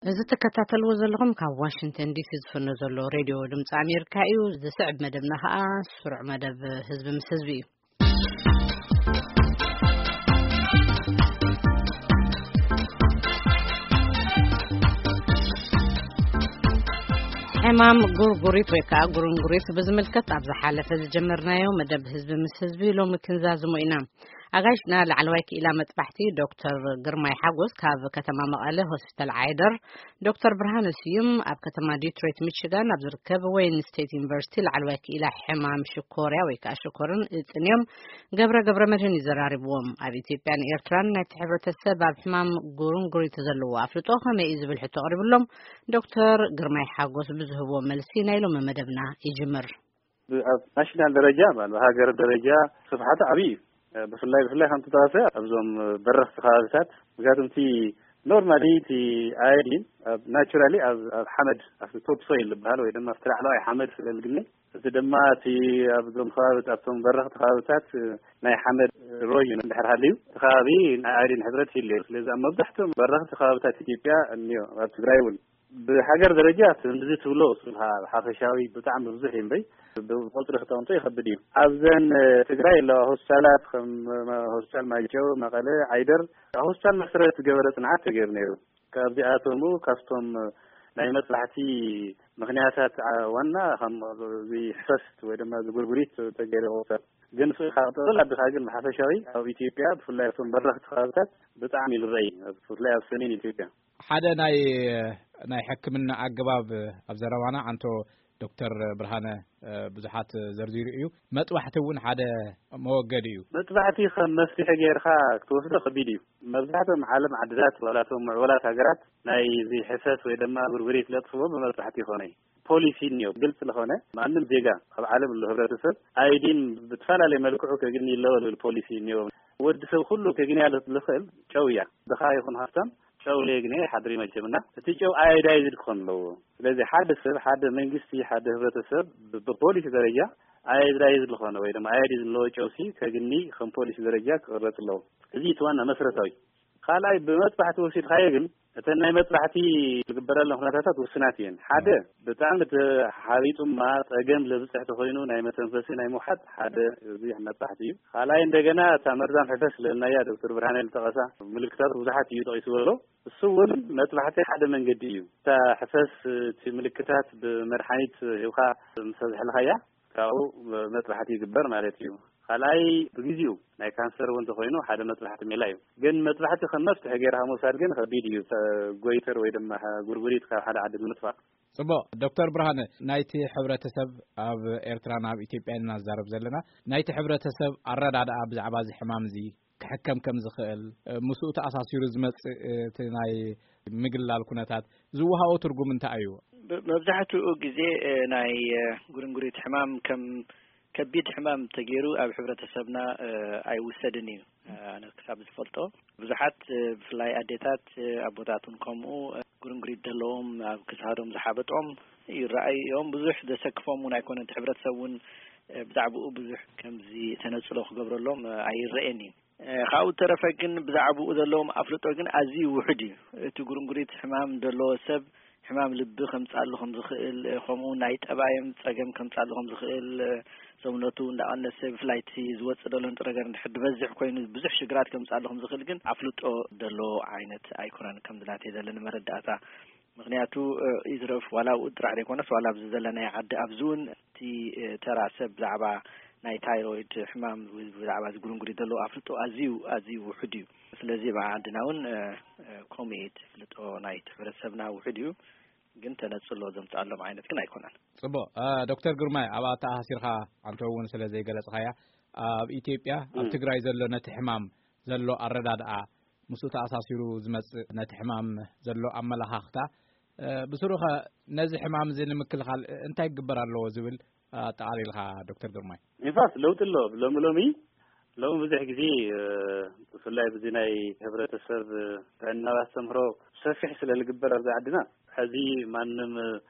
እዚ ትከታተልዎ ዘለኹም ካብ ዋሽንግተን ዲሲ ዝፍኖ ዘሎ ሬድዮ ድምፂ ኣሜሪካ እዩ። ዝስዕብ መደብና ከዓ ስሩዕ መደብ ህዝቢ ምስ ህዝቢ እዩ። ሕማም ጉርጉሪት ወይ ከዓ ጉርንጉሪት ብዝምልከት ኣብ ዝሓለፈ ዝጀመርናዮ መደብ ህዝቢ ምስ ህዝቢ ሎሚ ክንዛዝሞ ኢና። ኣጋይሽና ላዕለዋይ ክኢላ መጥባሕቲ ዶክተር ግርማይ ሓጎስ ካብ ከተማ መቐለ ሆስፒታል ዓይደር፣ ዶክተር ብርሃነ ስዩም ኣብ ከተማ ዲትሮይት ሚቺጋን ኣብ ዝርከብ ወይን ስቴት ዩኒቨርሲቲ ላዕለዋይ ክኢላ ሕማም ሽኮርያ ወይ ከዓ ሽኮርን እፅን እዮም። ገብረ ገብረ መድህን ይዘራርብዎም። ኣብ ኢትዮጵያን ኤርትራን ናይቲ ሕብረተሰብ ኣብ ሕማም ጉርንጉሪት ዘለዎ ኣፍልጦ ከመይ እዩ ዝብል ሕቶ ኣቕሪብሎም። ዶክተር ግርማይ ሓጎስ ብዝህብዎ መልሲ ናይ ሎሚ መደብና ይጅምር። ኣብ ናሽናል ደረጃ ማለት ሃገር ደረጃ ስፍሓቱ ዓብዪ እዩ። ብፍላይ ብፍላይ ከምቲ ተዋሰ ኣብዞም በረኽቲ ከባቢታት፣ ምክንያቱም እቲ ኖርማሊ እቲ ኣዮዲን ኣብ ናቹራሊ ኣብ ኣብ ሓመድ ኣብ ቶፕ ሶይል ዝበሃል ወይ ድማ ኣብቲ ላዕለዋይ ሓመድ ስለ ዝግነ፣ እቲ ድማ እቲ ኣብዞም ከባቢ ኣብቶም በረኽቲ ከባቢታት ናይ ሓመድ ሮይ እዩ እንድሕር ሃልዩ እቲ ከባቢ ናይ ኣዮዲን ሕፅረት ይህልዮ። ስለዚ ኣብ መብዛሕትኦም በረኽቲ ከባቢታት ኢትዮጵያ እኒኦ ኣብ ትግራይ እውን ብሃገር ደረጃ ከምዚ ትብሎ እሱ ሓፈሻዊ ብጣዕሚ ብዙሕ እዩ እምበይ ብቁፅሪ ክተምጦ ይኸብድ እዩ። ኣብዘን ትግራይ ኣለዋ ሆስፒታላት ከም ሆስፒታል ማይጨው፣ መቐለ፣ ዓይደር ሆስፒታል መሰረት ዝገበረ ፅንዓት ተገይሩ ነይሩ። ካብዚኣቶም ካብቶም ናይ መጥባሕቲ ምክንያታት ዋና ከም ሕፈስት ወይ ድማ ዝጉርጉሪት ተገይሩ ይቆፀር። ግን ካብ ጠቕላላ ኣቢልካ ግን ብሓፈሻዊ ኣብ ኢትዮጵያ ብፍላይ ኣብቶም በረኽቲ ከባብታት ብጣዕሚ ይልረይ፣ ብፍላይ ኣብ ሰሜን ኢትዮጵያ። ሓደ ናይ ናይ ሕክምና ኣገባብ ኣብ ዘረባና ዓንቶ ዶክተር ብርሃነ ብዙሓት ዘርዚሩ እዩ። መጥባሕቲ እውን ሓደ መወገዲ እዩ። መጥባሕቲ ከም መፍትሒ ጌርካ ክትወስዶ ከቢድ እዩ። መብዛሕትኦም ዓለም ዓድታት ዋላቶም ምዕበላት ሃገራት ናይ ዘይሕሰስ ወይ ድማ ጉርጉሪት ለጥፍዎ ብመጥባሕቲ ይኾነ እዩ። ፖሊሲ እኒኦ ግልጽ ዝኾነ ማንም ዜጋ ኣብ ዓለም ኣሎ ህብረተሰብ ኣይዲን ብተፈላለየ መልክዑ ከግኒ ኣለዎ ዝብል ፖሊሲ እኒኦ። ወዲ ሰብ ኩሉ ከግንያ ዝኽእል ጨው እያ። ድኻ ይኹን ሃፍታም ጨው ለየግንየ ሓድሪ መቸምና እቲ ጨው ኣዮዳይዝድ ክኾን ኣለዎ። ስለዚ ሓደ ሰብ ሓደ መንግስቲ ሓደ ህብረተሰብ ብፖሊሲ ደረጃ ኣዮዳይዝድ ዝኾነ ወይ ድማ ኣዮዲን ዘለዎ ጨውሲ ከግኒ ከም ፖሊሲ ደረጃ ክቕረጽ ኣለዎ። እዚ እቲ ዋና መሰረታዊ። ካልኣይ ብመጥባሕቲ ወሲድካዮ ግን እተን ናይ መጥባሕቲ ዝግበረለን ኩነታታት ውስናት እየን። ሓደ ብጣዕሚ ተሓቢጡማ ጸገም ለብፅሕ ተኮይኑ ናይ መተንፈሲ ናይ ምውሓጥ ሓደ ብዙሕ መጥባሕቲ እዩ። ካልኣይ እንደገና እታ መርዛም ሕፈስ ስለናያ ዶክተር ብርሃነ ዝጠቐሳ ምልክታት ብዙሓት እዩ ጠቂሱ ዘሎ። እሱ እውን መጥባሕቲ ሓደ መንገዲ እዩ። እታ ሕፈስ እቲ ምልክታት ብመድሓኒት ሂብካ ምስ ኣዝሕልኻያ ካብኡ መጥባሕቲ ይግበር ማለት እዩ። ካልኣይ ብግዜኡ ናይ ካንሰር እውን ተኮይኑ ሓደ መጥባሕቲ ሜላ እዩ። ግን መጥባሕቲ ከም መፍትሒ ገይርካ ምውሳድ ግን ከቢድ እዩ። ጎይተር ወይ ድማ ጉርጉሪት ካብ ሓደ ዓዲ ንምጥፋእ። ጽቡቕ ዶክተር ብርሃነ፣ ናይቲ ሕብረተሰብ ኣብ ኤርትራን ኣብ ኢትዮጵያን ኢና ንዛረብ ዘለና። ናይቲ ሕብረተሰብ ኣረዳድኣ ብዛዕባ እዚ ሕማም እዚ ክሕከም ከም ዝኽእል ምስኡ ተኣሳሲሩ ዝመጽእ እቲ ናይ ምግላል ኩነታት ዝወሃቦ ትርጉም እንታይ እዩ? መብዛሕትኡ ግዜ ናይ ጉርንጉሪት ሕማም ከም ከቢድ ሕማም ተገይሩ ኣብ ሕብረተሰብና ኣይውሰድን እዩ። ኣነ ክሳብ ዝፈልጦ ብዙሓት ብፍላይ ኣዴታት ኣቦታት እውን ከምኡ ጉርንጉሪት ዘለዎም ኣብ ክሳዶም ዝሓበጦም ይረኣዩ እዮም። ብዙሕ ዘሰክፎም እውን ኣይኮነን። እቲ ሕብረተሰብ እውን ብዛዕባኡ ብዙሕ ከምዚ ተነፅሎ ክገብረሎም ኣይረኤን እዩ። ካብኡ ተረፈ ግን ብዛዕባኡ ዘለዎም ኣፍልጦ ግን ኣዝዩ ውሑድ እዩ። እቲ ጉርንጉሪት ሕማም ዘለዎ ሰብ ሕማም ልቢ ከምጻሉ ከም ዝኽእል፣ ከምኡ ናይ ጠባዮም ጸገም ከምጻሉ ከም ዝኽእል፣ ሰውነቱ እንዳቐነሰ ብፍላይ እቲ ዝወጽእ ዘሎ ንጥረ ነገር እንድሕር ዝበዝሕ ኮይኑ ብዙሕ ሽግራት ከምጻሉ ከም ዝኽእል ግን ኣፍልጦ ዘሎ ዓይነት ኣይኮነን። ከምዚ ናተይ ዘለኒ መረዳእታ ምኽንያቱ ይትረፍ ዋላ ኣብኡ ጥራሕ ዘይኮነስ ዋላ ኣብዚ ዘለናዮ ዓዲ ኣብዚ እውን እቲ ተራ ሰብ ብዛዕባ ናይ ታይሮይድ ሕማም ብዛዕባ እዚ ጉርንጉሪት ዘለዎ ኣፍልጦ ኣዝዩ ኣዝዩ ውሑድ እዩ። ስለዚ ኣብ ዓድና እውን ከምኡ እዩ እቲ ፍልጦ ናይቲ ሕብረተሰብና ውሑድ እዩ። ግን ተነፅሎ ዘምፅኣሎም ዓይነት ግን ኣይኮነን። ፅቡቕ ዶክተር ግርማይ ኣብኣ ተኣሳሲርካ ኣንተ እውን ስለ ዘይገለፅካያ ኣብ ኢትዮጵያ ኣብ ትግራይ ዘሎ ነቲ ሕማም ዘሎ ኣረዳድኣ ምስኡ ተኣሳሲሩ ዝመፅእ ነቲ ሕማም ዘሎ ኣመላኻኽታ ብስሩኸ ነዚ ሕማም እዚ ንምክልኻል እንታይ ክግበር ኣለዎ ዝብል ኣጠቓሊልካ ዶክተር ግርማይ? ኢንፋክት ለውጢ ኣሎ። ሎሚ ሎሚ ሎሚ ብዙሕ ግዜ ብፍላይ ብዚ ናይ ሕብረተሰብ ጥዕና ኣስተምህሮ ሰፊሕ ስለ ዝግበር ኣብዚ ዓድና ሕዚ ማንም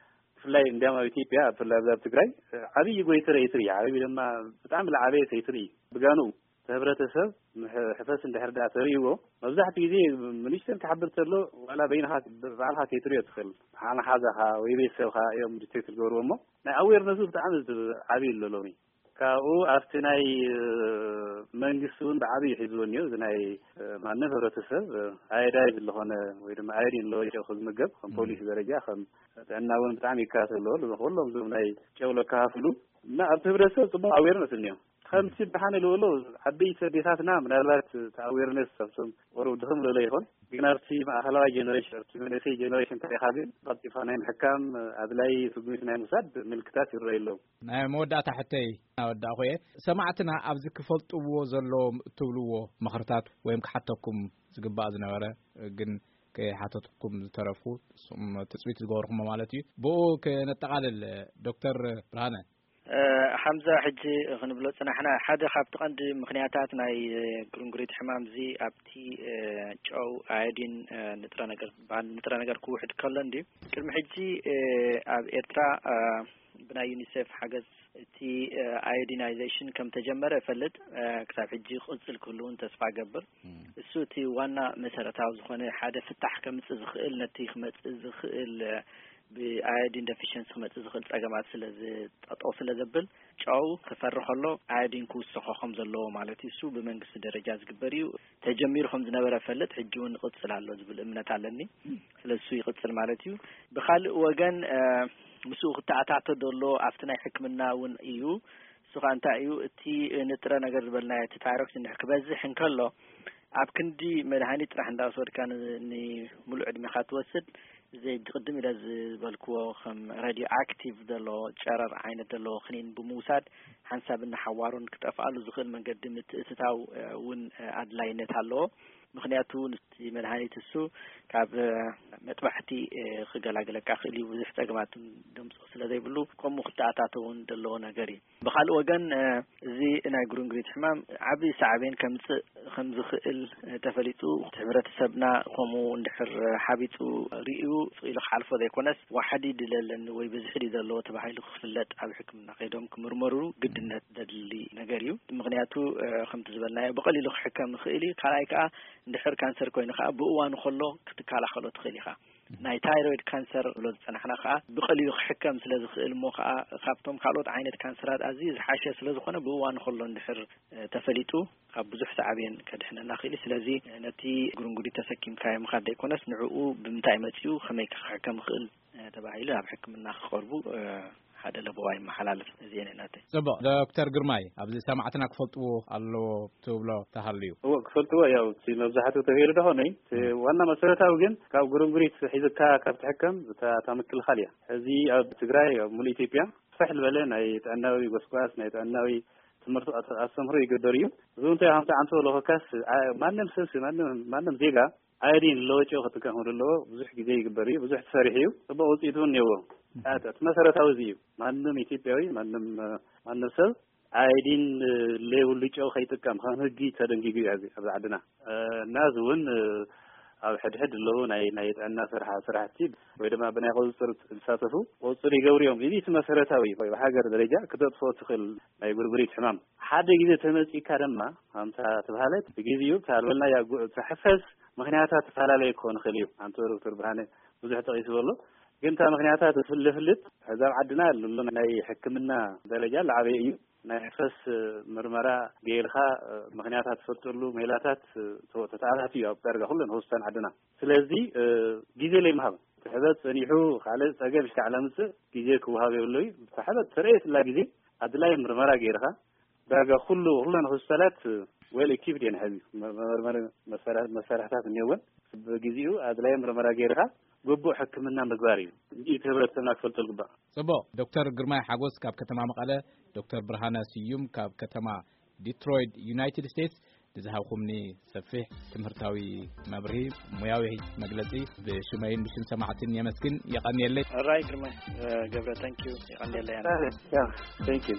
ብፍላይ እንዲያም ኣብ ኢትዮጵያ ብፍላይ ኣብዚ ኣብ ትግራይ ዓብዪ ጎይተረ ይትርኢ ዓብዪ ድማ ብጣዕሚ ዝዓበየ ሰይትርኢ ብጋኑ እቲ ህብረተሰብ ምሕ-፣ ሕፈስ እንድሕር ደኣ ተርእይዎ፣ መብዛሕትኡ ግዜ ሚኒስተር ክሓብር ከሎ ዋላ በይንኻ ብ-፣ ባዕልኻ ከይትርእዮ ትኽእል። ሓ-፣ መሓዛኻ ወይ ቤተሰብኻ እዮም ዲክቴት ዝገብርዎ እሞ፣ ናይ ኣዌርነሱ ብጣዕሚ ዝዓቢ ኣሎ ሎሚ። ካብኡ ኣብቲ ናይ፣ እ፣ መንግስቲ እውን ብዓቢ ሒዝዎ እኒኦ። እዚ ናይ፣ እ፣ ማንም ህብረተሰብ፣ እ፣ ኣየዳይ ዝኾነ ወይ ድማ ኣየዲን ኣለዎ ጨው ክዝምገብ ከም ፖሊሲ ደረጃ፣ ከም ጥዕና እውን ብጣዕሚ ይከታተል ኣለዎ። ኩሎም እዞም ናይ ጨው ለካፍሉ እና ኣብቲ ህብረተሰብ ጽቡቕ ኣዌርነስ እኒኦ። ከምቲ ብሓነ ዝበሎ ዓበይቲ ኣዴታትና ምናልባት እቲ ኣዌርነስ ኣብቶም ቆርብ ድኽም ዝበለ ይኾን፣ ግን ኣብቲ ማእኸላዋይ ጀነሬሽን፣ ኣብቲ መንእሰይ ጀነሬሽን እንተሪኻ ግን ቀልጢፋ ናይ ምሕካም ኣድላይ ስጉሚት ናይ ምውሳድ ምልክታት ይረኣዩ ኣለዉ። ናይ መወዳእታ ሕተይ እናወዳእኹ እየ። ሰማዕትና ኣብዚ ክፈልጥዎ ዘለዎም እትብልዎ ምኽርታት ወይም ክሓተኩም ዝግባእ ዝነበረ ግን ከይሓተትኩም ዝተረፍኩ ንስኹም ትጽቢት ዝገበርኩሞ ማለት እዩ። ብኡ ክነጠቓልል ዶክተር ብርሃነ። እ፣ ሓምዛ፣ ሕጂ ክንብሎ ጽናሕና፣ ሓደ ካብቲ ቀንዲ ምኽንያታት ናይ፣ እ፣ ግርንጉሪት ሕማም እዚ ኣብቲ፣ እ፣ ጨው ኣዮዲን፣ እ፣ ንጥረ ነገር ዝበሃል ንጥረ ነገር ክውሕድ ከሎ እንድዩ። ቅድሚ ሕጂ፣ እ፣ ኣብ ኤርትራ፣ እ፣ ብናይ ዩኒሴፍ ሓገዝ እቲ፣ እ፣ ኣዮዲናይዜሽን ከም ተጀመረ እፈልጥ። እ፣ ክሳብ ሕጂ ክቕጽል ክህሉ እውን ተስፋ እገብር። እሱ እቲ ዋና መሰረታዊ ዝኾነ ሓደ ፍታሕ ከምጽእ ዝኽእል፣ ነቲ ክመጽእ ዝኽእል፣ እ፣ ብኣዮዲን ደፊሽንሲ ክመጽእ ዝኽእል ጸገማት ስለ ዝጠጠው ስለ ዘብል፣ ጨው ክፈሪ ከሎ ኣዮዲን ክውስኾ ከም ዘለዎ ማለት እዩ። እሱ ብመንግስቲ ደረጃ ዝግበር እዩ። ተጀሚሩ ከም ዝነበረ እፈልጥ፣ ሕጂ እውን ይቕጽል ኣሎ ዝብል እምነት ኣለኒ። ስለ እሱ ይቕጽል ማለት እዩ። ብኻልእ ወገን፣ እ፣ ምስኡ ክተኣታቶ ዘሎ ኣብቲ ናይ ሕክምና እውን እዩ። እሱ ኸኣ እንታይ እዩ? እቲ ንጥረ ነገር ዝበልናዮ፣ እቲ ታይሮክሲን እንድሕር ክበዝሕ እንከሎ፣ ኣብ ክንዲ መድሃኒት ጥራሕ እንዳወሰድካ ን-፣ ንምሉእ ዕድሜኻ ትወስድ፣ እዚ ቅድም ኢለ ዝበልክዎ ከም ራድዮ ኣክቲቭ ዘሎ ጨረር ዓይነት ዘለዎ ክኒን ብምውሳድ ሓንሳብን ንሓዋሩን ክጠፍኣሉ ዝኽእል መንገዲ ምትእትታው፣ እ፣ እውን፣ እ፣ ኣድላይነት ኣለዎ። ምኽንያቱ እቲ መድሃኒት እሱ ካብ፣ እ፣ መጥባሕቲ፣ እ፣ ክገላግለካ ክእል እዩ። ብዙሕ ጸገማት ደምጽኦ ስለ ዘይብሉ፣ ከምኡ ክተኣታቶ እውን ዘለዎ ነገር እዩ። ብኻልእ ወገን፣ እ፣ እዚ ናይ ጉርንጉሪት ሕማም ዓቢ ሳዕቤን ከምጽእ ከም ዝኽእል፣ እ፣ ተፈሊጡ፣ እቲ ሕብረተሰብና ከምኡ እንድሕር ሓቢጡ ርእዩ፣ ስቕ ኢሉ ክሓልፎ ዘይኮነስ፣ ዋሕዲ ድዩ ዘለኒ ወይ ብዝሒ ድዩ ዘለዎ ተባሂሉ ክፍለጥ፣ ኣብ ሕክምና ከይዶም ክምርመሩ ግድነት ዘድሊ ነገር እዩ። ምኽንያቱ፣ እ፣ ከምቲ ዝበልናዮ፣ ብቐሊሉ ክሕከም ይኽእል እዩ። ካልኣይ ከኣ፣ እንድሕር ካንሰር ኮይኑ ከኣ፣ ብእዋኑ ከሎ ክትከላኸሎ ትኽእል ኢኻ። ናይ ታይሮይድ ካንሰር ብሎ ዝጸናሕና ከኣ ብቐሊሉ ክሕከም ስለ ዝኽእል እሞ ከኣ ካብቶም ካልኦት ዓይነት ካንሰራት ኣዝዩ ዝሓሸ ስለ ዝኾነ ብእዋኑ ከሎ እንድሕር፣ እ፣ ተፈሊጡ ካብ ብዙሕ ሳዕቤን ከድሕነና ክእል እዩ። ስለዚ ነቲ ጉርንጉሪት ተሰኪምካዮ ምኻድ ዘይኮነስ ንዕኡ ብምንታይ መጺኡ ከመይ ክሕከም ይኽእል፣ እ፣ ተባሂሉ ናብ ሕክምና ክቐርቡ፣ እ፣ ሓደ ለበዋ ይመሓላለፍ። እዚኤን እየን ናተይ። ጽቡቕ። ዶክተር ግርማይ፣ ኣብዚ ሰማዕትና ክፈልጥዎ ኣለዎ ትብሎ ተሃልዩ? እዎ፣ ክፈልጥዎ። ያው፣ እቲ መብዛሕትኡ ተገይሩ ደኾነ። እቲ ዋና መሰረታዊ ግን ካብ ጉርንጉሪት ሒዝካ ካብ ትሕከም እታ፣ እታ ምክልኻል እያ። ሕዚ ኣብ ትግራይ፣ ኣብ ሙሉእ ኢትዮጵያ ስፍሕ ዝበለ ናይ ጥዕናዊ ጎስጓስ፣ ናይ ጥዕናዊ ትምህርቲ ኣስ-፣ ኣስተምህሮ ይግበር እዩ። እዚ እውን እንታይ ከምቲ ዓንቶ ለኾካስ፣ ዓ-፣ ማንም ሰብ፣ ማንም፣ ማንም ዜጋ ኣዮዲን ለወጨው ክጥቀም ከም ዘለዎ ብዙሕ ግዜ ይግበር እዩ። ብዙሕ ተሰሪሑ እዩ። ጽቡቕ ውጽኢት እውን እኒአዎ። እቲ መሰረታዊ እዚ እዩ። ማንም ኢትዮጵያዊ፣ ማንም፣ ማንም ሰብ ኣዮዲን ለይብሉ ጨው ከይጥቀም ከም ህጊ ተደንጊጉ እዩ ኣብዚ፣ ኣብዚ ዓድና። እ፣ እና እዚ እውን፣ እ፣ ኣብ ሕድሕድ ኣለዉ ናይ፣ ናይ ጥዕና ስራሕ-፣ ስራሕቲ ወይ ድማ ብናይ ቁፅፅር ዝሳተፉ ቁፅፅር ይገብሩ እዮም። እዚ እቲ መሰረታዊ ወይ ብሃገር ደረጃ ክተጥፍኦ ትኽእል ናይ ጉርጉሪት ሕማም። ሓደ ግዜ ተመፂካ ድማ፣ ከምታ ተባሃለት፣ ብግዜኡ እታ ዝበልናያ ጉ-፣ እታ ሕፈስ ምኽንያታት ተፈላለየ ክኾን ይኽእል እዩ። ኣንቶ ዶክተር ብርሃነ ብዙሕ ጠቒስዎ ኣሎ። ግን እታ ምኽንያታት ዝፍል-፣ ዝፍልጥ፣ ሕዚ ኣብ ዓድና ዘሎ ናይ ሕክምና ደረጃ ዝዓበየ እዩ። ናይ ሕፈስ ምርመራ ገይርካ ምኽንያታት ትፈልጠሉ ሜላታት ተ-፣ ተተኣታትዩ ኣብ ዳርጋ ኩለን ሆስፒታል ዓድና። ስለዚ ግዜ ለይምሃብ፣ እቲ ሕበጥ ጸኒሑ ካልእ ጸገም እስካዕ ለምጽእ ግዜ ክወሃብ የብሎ እዩ። እታ ሕበጥ ተረእየትላ ግዜ ኣድላይ ምርመራ ገይርካ ዳርጋ ኩሉ፣ ኩለን ሆስፒታላት ዌል ኢኪፕድ እየን። ሕዚ መ-፣ መመርመሪ መሳርያ-፣ መሳርሕታት እኒኦወን። ብግዜኡ ኣድላይ ምርመራ ገይርካ ግቡእ ሕክምና ምግባር እዩ። እዚ እቲ ህብረተሰብና ክፈልጦ ዝግባእ። ጽቡቕ። ዶክተር ግርማይ ሓጎስ ካብ ከተማ መቐለ፣ ዶክተር ብርሃነ ስዩም ካብ ከተማ ዲትሮይት ዩናይትድ ስቴትስ ንዝሃብኩምኒ ሰፊሕ ትምህርታዊ መብርሂ፣ ሙያዊ መግለጺ ብሽመይን ብሽም ሰማዕትን የመስግን። የቐንየለይ። ሕራይ ግርማይ፣ እ፣ ገብረ፣ ታንኪዩ። የቐንየለይ። ያ፣ ታንኪዩ።